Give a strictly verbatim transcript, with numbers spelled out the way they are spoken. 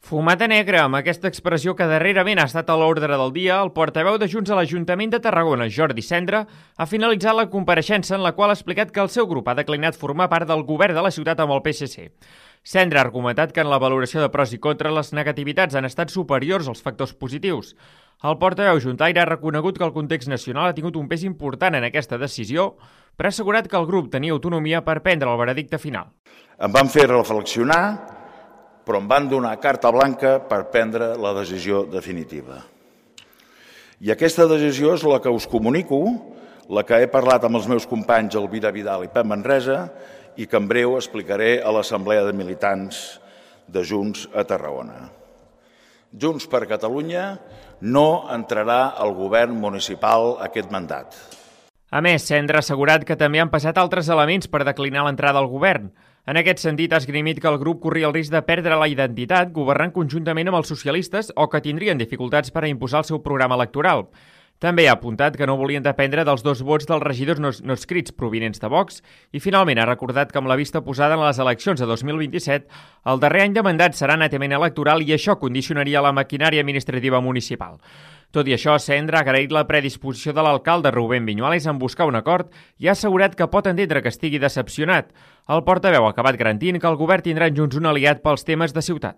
Fumata negra, amb aquesta expressió que darrerament ha estat a l'ordre del dia, el portaveu de Junts a l'Ajuntament de Tarragona, Jordi Cendra, ha finalitzat la compareixença en la qual ha explicat que el seu grup ha declinat formar part del govern de la ciutat amb el P S C. Cendra ha argumentat que en la valoració de pros i contres les negativitats han estat superiors als factors positius. El portaveu juntaire ha reconegut que el context nacional ha tingut un pes important en aquesta decisió, però ha assegurat que el grup tenia autonomia per prendre el veredicte final. Em van fer reflexionar, però em van donar carta blanca per prendre la decisió definitiva. I aquesta decisió és la que us comunico, la que he parlat amb els meus companys Elvira Vidal i Pep Manresa i que en breu explicaré a l'Assemblea de Militants de Junts a Tarragona. Junts per Catalunya no entrarà al govern municipal aquest mandat. A més, Cendra ha assegurat que també han passat altres elements per declinar l'entrada al govern. En aquest sentit, ha esgrimit que el grup corria el risc de perdre la identitat governant conjuntament amb els socialistes o que tindrien dificultats per a imposar el seu programa electoral. També ha apuntat que no volien dependre dels dos vots dels regidors no, no escrits provinents de Vox i finalment ha recordat que amb la vista posada en les eleccions de dos mil vint-i-set, el darrer any de mandat serà netament electoral i això condicionaria la maquinària administrativa municipal. Tot i això, Cendra ha agraït la predisposició de l'alcalde Rubén Viñuales en buscar un acord i ha assegurat que pot entendre que estigui decepcionat. El portaveu ha acabat garantint que el govern tindrà en Junts un aliat pels temes de ciutat.